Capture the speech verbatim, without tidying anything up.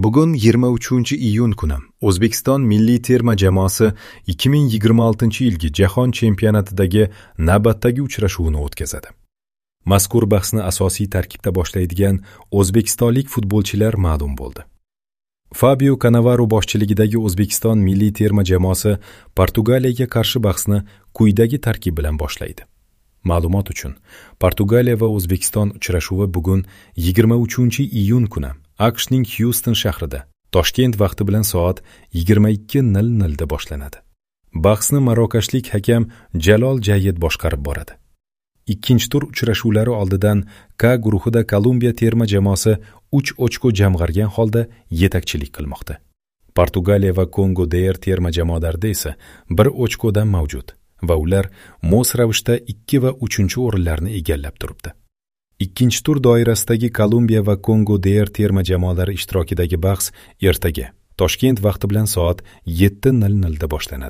Bugun yigirma uchinchi iyun kuni O'zbekiston milliy terma jamoasi ikki ming yigirma oltinchi yilgi Jahon chempionatidagi navbatdagi uchrashuvini o'tkazadi. Mazkur bahsni asosiy tarkibda boshlaydigan o'zbekistonlik futbolchilar ma'lum bo'ldi. Fabio Cannavaro boshchiligidagi O'zbekiston milliy terma jamoasi Portugaliyaga qarshi bahsni quyidagi tarkib bilan boshlaydi. Ma'lumot uchun, Portugaliya va O'zbekiston uchrashuvi bugun yigirma uchinchi iyun kuni A Q Shning Houston shahrida Toshkent vaqti bilan soat yigirma ikki nol nolda boshlanadi. Bahsni marokashlik hakam Jalol Jayid boshqarib boradi. Ikkinchi tur uchrashuvlari oldidan K guruhida Kolumbiya terma jamoasi uch ochko jamg'argan holda yetakchilik qilmoqda. Portugaliya va Kongo D R terma jamoalarida esa bir ochkodan mavjud va ular mos ravishda ikki va uchinchi o'rinlarni egallab turibdi. Ikkinchi tur doirasidagi Kolumbiya va Kongo D R terma jamoalari ishtirokidagi bahs ertaga Toshkent vaqti bilan soat yetti nol nolda boshlanadi.